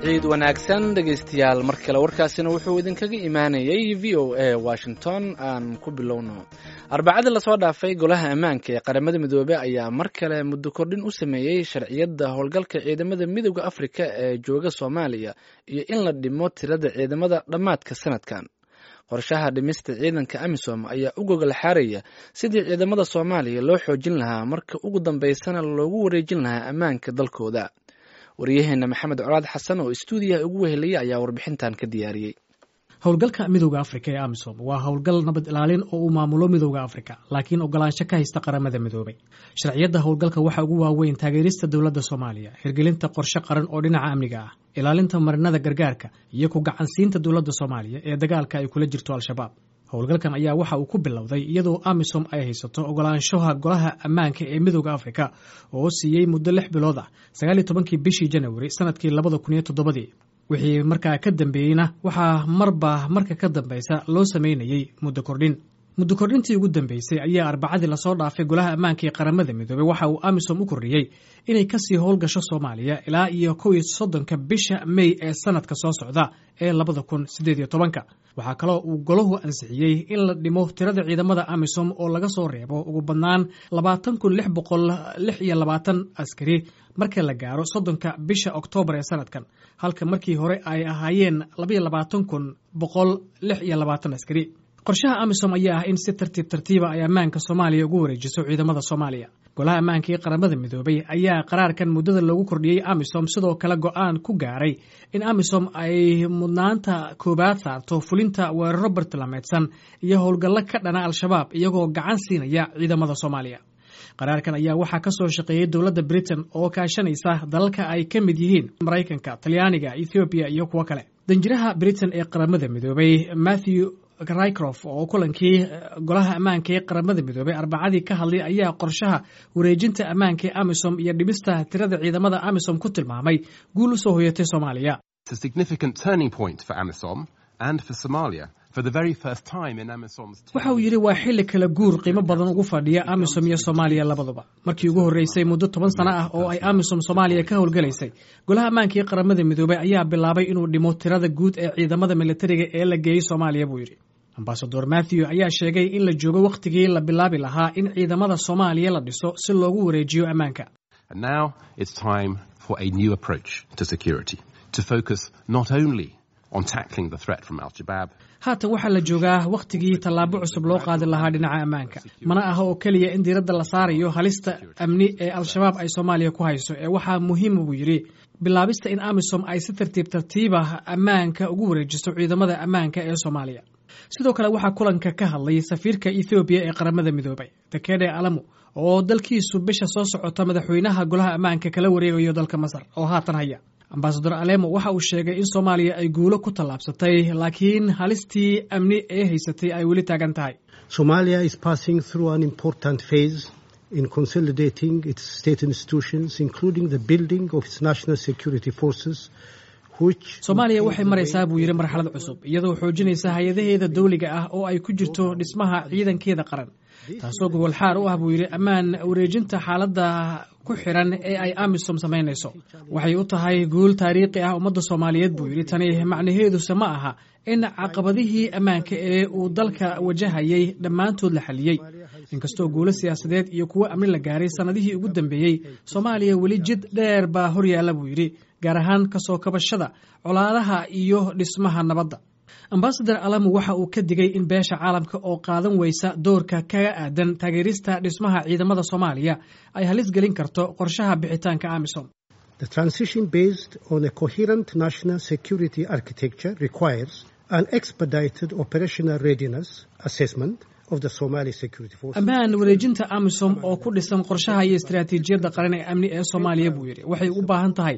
Ciid wanaagsan, dhegaystayaal, mar kale. Warkaasina wuxuu idinkaga imaanayay VOA Washington. Aan ku bilowno. Arbacadii lasoo dhaafay, Golaha Ammaanka ee Qaramada Midoobey ayaa mar kale muddo kordhin u sameeyey sharciyadda howlgalka ciidamada Midowda Afrika ee jooga Soomaaliya iyo in la dhimo tirada ciidamada dhammaadka sanadkan. Qorshaha dhimista ciidanka AMISOM ayaa u gogol xaaraya sidii ciidamada Soomaaliya loo xoojin lahaa, marka ugu dambeysana loogu wareejin lahaa ammaanka dalkooda. Waryaheena Maxamed Colaad Xasan oo istuudiyaha ugu weheliyay ayaa warbixintan ka diyaariyey. Howlgalka Midowda Afrika ee AMISOM waa howlgal nabad ilaalin oo uu maamulo Midowda Afrika, laakiin ogolaansho ka haysta Qaramada Midoobay. Sharciyadda howlgalka waxaa ugu waaweyn taageerista dowladda Soomaaliya, hirgelinta qorshe qaran oo dhinaca amniga ah, ilaalinta marinada gargaarka iyo ku gacansiinta dowladda Soomaaliya ee dagaalka ay kula jirto Al-Shabaab. Howlgalkan ayaa waxa uu ku bilowday iyadoo AMISOM ay haysato ogolaanshaha Golaha Ammaanka ee Midowda Afrika oo siiyey muddo 6 bilood ah 19-kii bishii Janawari sanadkii 2007-dii. Wixii markaa ka dambeeyeyna waxaa marba marka ka dambeysa loo sameynayey muddo kordhin. Muddo kordhintii ugu dambeysay ayaa Arbacadii lasoo dhaafay Golaha Ammaanka ee Qaramada Midoobey waxa uu AMISOM u kordhiyey inay kasii howlgasho Soomaaliya ilaa iyo 31-ka bisha Mey ee sanadka soo socda ee 2018-ka. Waxaa kaloo uu golahu ansixiyey in la dhimo tirada ciidamada AMISOM oo laga soo reebo ugu badnaan 20,626 askari marka la gaaro 30-ka bisha Oktoobar ee sanadkan, halka markii hore ay ahaayeen 22,126 askari. Qorshaha AMISOM ayaa ah in si tartiib tartiiba ay ammaanka Soomaaliya ugu wareejiso ciidamada Soomaaliya. Golaha Ammaanka ee Qaramada Midoobay ayaa qaraarkan muddada loogu kordhiyey AMISOM sidoo kale go-aan ku gaaray in AMISOM ay mudnaanta koowaad saarto fulinta weeraro bartilmaameedsan iyo howlgallo ka dhana Al-Shabaab, iyagoo gacan siinaya ciidamada Soomaaliya. Qaraarkan ayaa waxaa ka soo shaqeeyey dowladda Britain oo kaashanaysa dalalka ay ka mid yihiin Maraykanka, Talyaaniga, Ethoobiya iyo kuwo kale. Danjiraha Britain ee Qaramada Midoobay, Matthew Rycroft, oo kulankii Golaha Ammaanka ee Qaramada Midoobay Arbacadii ka hadlay ayaa qorshaha wareejinta ammaanka ee AMISOM iyo dhimista tirada ciidamada AMISOM ku tilmaamay guul u soo hoyatay Soomaaliya. Waxa uu yidhi: "Waa xilli kala guur qiimo badan ugu fadhiya AMISOM iyo Soomaaliya labaduba. Markii ugu horreysay muddo 10 sano ah oo ay AMISOM Soomaaliya ka howlgalaysay, Golaha Ammaanka ee Qaramada Midoobay ayaa bilaabay inuu dhimo tirada guud ee ciidamada militariga ee la geeyey Soomaaliya," buu yidhi. Ambasador Matthew ayaa sheegay in la joogo wakhtigii la bilaabi lahaa in ciidamada Soomaaliya la dhiso si loogu wareejiyo ammaanka. For a new approach to security, to focus not only on tackling the threat from Al-Shabaab. "Haatan waxaa la joogaa wakhtigii tallaabo cusub loo qaadi lahaa dhinaca ammaanka. Mana aha oo keliya in diiradda la saarayo halista amni ee Al-Shabaab ay Soomaaliya ku hayso ee waxaa muhiima," buu yidhi, "bilaabista in AMISOM ay si tartiib tartiiba ammaanka ugu wareejiso ciidamada ammaanka ee Soomaaliya." Sidoo kale waxaa kulanka ka hadlay safiirka Ethoobiya ee Qaramada Midoobay, Tekede Alamu, oo dalkiisu bisha soo socota madaxweynaha Golaha Ammaanka kala wareegayo dalka Masar oo haatan haya. Ambasador Alemo waxa uu sheegay in Soomaaliya ay guulo ku tallaabsatay, laakiin halistii amni ee haysatay ay weli taagan tahay. Somalia is passing through an important phase in consolidating its state institutions, including the building of its national security forces. "Soomaaliya waxay maraysaa," buu yidhi, "marxalad cusub, iyadoo xoojinaysa hay-adaheeda dawliga ah oo ay ku jirto dhismaha ciidankeeda qaran, taasoo gogol xaar u ah," buu yidhi, "ammaan wareejinta xaaladda ku xiran ee ay AMISOM samaynayso. Waxay u tahay guul taariikhi ah ummadda Soomaaliyeed," buu yidhi. "Tani macnaheeduse ma aha in caqabadihii ammaanka ee uu dalka wajahayay dhammaantood la xaliyey. Inkastoo guulo siyaasadeed iyo kuwo amni la gaaray sannadihii ugu dambeeyey, Soomaaliya weli jid dheer baa horyaalla," buu yidhi, "gaar ahaan kasoo kabashada colaadaha iyo dhismaha nabadda." Ambasador Alamu waxa uu ka digay in beesha caalamka oo qaadan weysa doorka kaga aadan taageerista dhismaha ciidamada Soomaaliya ay halis gelin karto qorshaha bixitaanka AMISOM. The transition based on a coherent national security architecture requires an expedited operational readiness assessment of the Somali security forces. "Ammaan wareejinta AMISOM oo ku dhisan qorshaha iyo istaraatiijiyadda qaran ee amni ee Soomaaliya," buu yidhi, "waxay u baahan tahay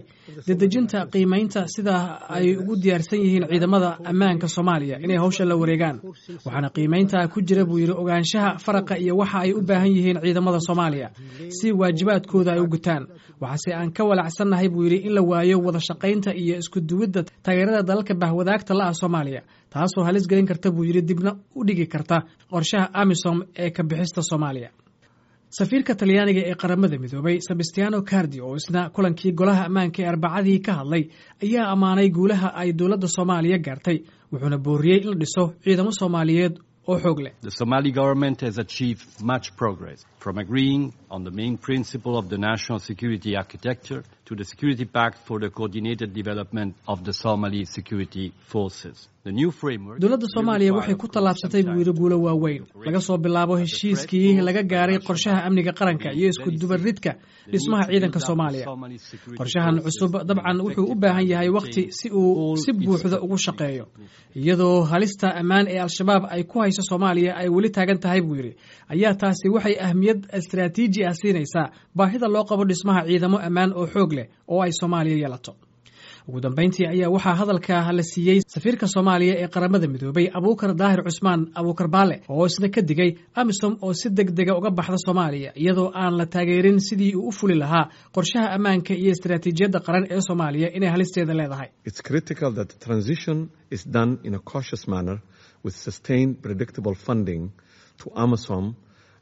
dedejinta qiimaynta sida ay ugu diyaarsan yihiin ciidamada ammaanka Soomaaliya inay hawsha la wareegaan. Waxaana qiimaynta ku jira," buu yidhi, "ogaanshaha faraqa iyo waxa ay u baahan yihiin ciidamada Soomaaliya si waajibaadkooda ay u gutaan. Waxaase aan ka walacsannahay," buu yidhi, "in la waayo wada shaqaynta iyo isku duwidda taageerada dalalka bahwadaagta la ah Soomaaliya, taasoo halis gelin karta," buu yidhi, "dibna u dhigi karta qorshaha AMISOM ee ka bixista Soomaaliya." Safiirka Talyaaniga ee Qaramada Midoobay, Sebastiano Cardi, oo isna kulankii Golaha Ammaanka ee Arbacadii ka hadlay, ayaa ammaanay guulaha ay dowladda Soomaaliya gaartay, wuxuuna booriyey in la dhiso ciidamo Soomaaliyeed oo xoog leh. The Somali government has achieved much progress, from agreeing on the main principle of the national security architecture to the Security Pact for the coordinated development of the Somali security forces. The new framework Dowladda Soomaaliya waxay ku tallaabsatay, buu yidhi, guulo waaweyn, laga soo bilaabo heshiiskii laga gaaray qorshaha amniga qaranka iyo isku dubaridka dhismaha ciidanka Soomaaliya. Qorshahan cusub dabcan wuxuu u baahan yahay wakhti si uu si buuxda ugu shaqeeyo. Iyadoo halista ammaan ee Al-Shabaab ay ku hayso Soomaaliya ay weli taagan tahay, buu yidhi, ayaa taasi waxay ahmiyad istaraatiiji ah siinaysaa baahida loo qabo dhismaha ciidamo ammaan oo xoog leh oo ay Soomaaliya yeelato. Ugu dambeyntii ayaa waxaa hadalka la siiyey safiirka Soomaaliya ee Qaramada Midoobay, Abuukar Daahir Cusmaan, Abuukar Baale, oo isna ka digay AMISOM oo si deg dega uga baxda Soomaaliya iyadoo aan la taageerin sidii uu u fuli lahaa qorshaha ammaanka iyo istaraatiijiyadda qaran ee Soomaaliya inay halisteeda leedahay. It's critical that the transition is done in a cautious manner with sustained, predictable funding to AMISOM,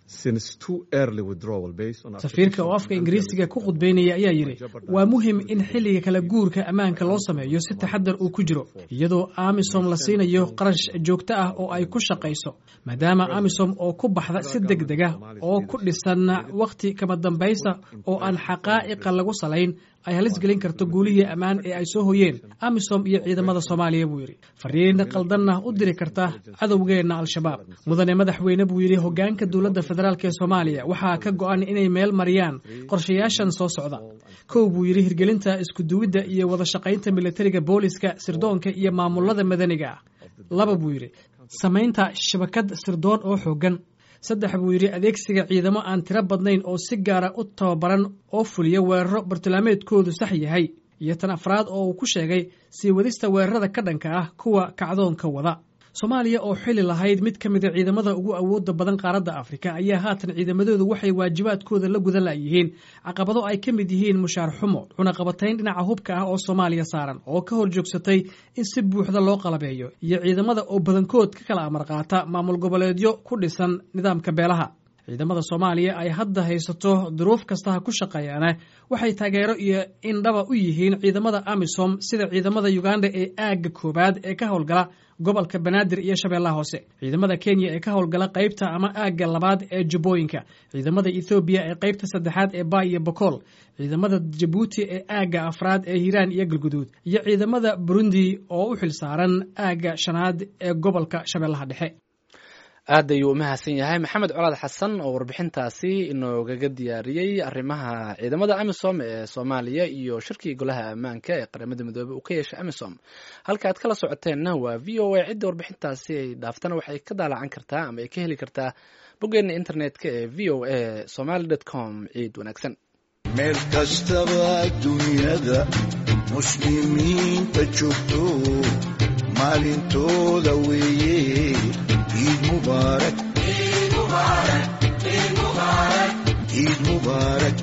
since too early withdrawal based on Safiirka oo afka Ingiriisiga ku khudbaynaya ayaa yidhi, waa muhim in xilliga kala guurka ammaanka loo sameeyo si taxadar uu ku jiro, iyadoo AMISOM la siinayo qarash joogto ah oo ay ku shaqayso, maadaama AMISOM oo ku baxda si deg dega oo ku dhisan wakhti kama dambaysa oo aan xaqaa'iqa lagu salayn ay halis gelin karto guulihii ammaan ee ay soo hoyeen AMISOM iyo ciidamada Soomaaliya, buu yidhi, fariin qaldanna u diri karta cadowgeenna Al-Shabaab. Mudane madaxweyne, buu yidhi, hoggaanka dowladda federaalk ee Soomaaliya waxaa ka go'an inay meel mariyaan qorshayaashan soo socda. Kow, buu yidhi, hirgelinta iskuduwidda iyo wada shaqaynta militariga, booliska, sirdoonka iyo maamulada madaniga ah. Laba, buu yidhi, samaynta shabakad sirdoon oo xooggan. Saddex, buu yidhi, adeegsiga ciidamo aan tiro badnayn oo si gaara u tababaran oo fuliya weeraro bartilmaameedkoodu sax yahay. Iyo tan afraad oo uu ku sheegay sii wadista weerarada ka dhanka ah kuwa kacdoonka wada. Soomaaliya oo xili lahayd mid ka mida ciidamada ugu awooda badan qaaradda Afrika ayaa haatan ciidamadoodu waxay waajibaadkooda la gudan la'yihiin caqabado ay ka mid yihiin mushaar xumo, cunaqabatayn dhinaca hubka ah oo Soomaaliya saaran oo ka hor joogsatay in si buuxda loo qalabeeyo, iyo ciidamada oo badankood ka kala amar qaata maamul goboleedyo ku dhisan nidaamka beelaha. Ciidamada Soomaaliya ay hadda haysato duruuf kasta ha ku shaqeeyaane waxay taageero iyo indhaba u yihiin ciidamada AMISOM, sida ciidamada Uganda ee aagga koowaad ee ka howlgala gobolka Banaadir iyo Shabeellaha Hoose, ciidamada Kenya ee ka howlgala qaybta ama aagga labaad ee Jubbooyinka, ciidamada Ethoobiya ee qaybta saddexaad ee Baay iyo Bokool, ciidamada Jabuuti ee aagga afraad ee Hiiraan iyo Galguduud, iyo ciidamada Burundi oo u xilsaaran aagga shanaad ee gobolka Shabeellaha Dhexe. Aad ayuu u mahadsan yahay Maxamed Colaad Xasan oo warbixintaasi inoogaga diyaariyey arrimaha ciidamada AMISOM ee Soomaaliya iyo shirkii Golaha Ammaanka ee Qaramada Midoobey uu ka yeeshay AMISOM. Halka aad kala socoteenna waa VOA. Cidda warbixintaasi ay dhaaftana waxay ka daalacan kartaa ama ay ka heli kartaa boggeena internetka ee voasomali.com. Ciid wanaagsan. Meel kastaba dunyada muslimiinta joogto, maalintooda weeye. Ciid mubaarak, ciid mubaarak.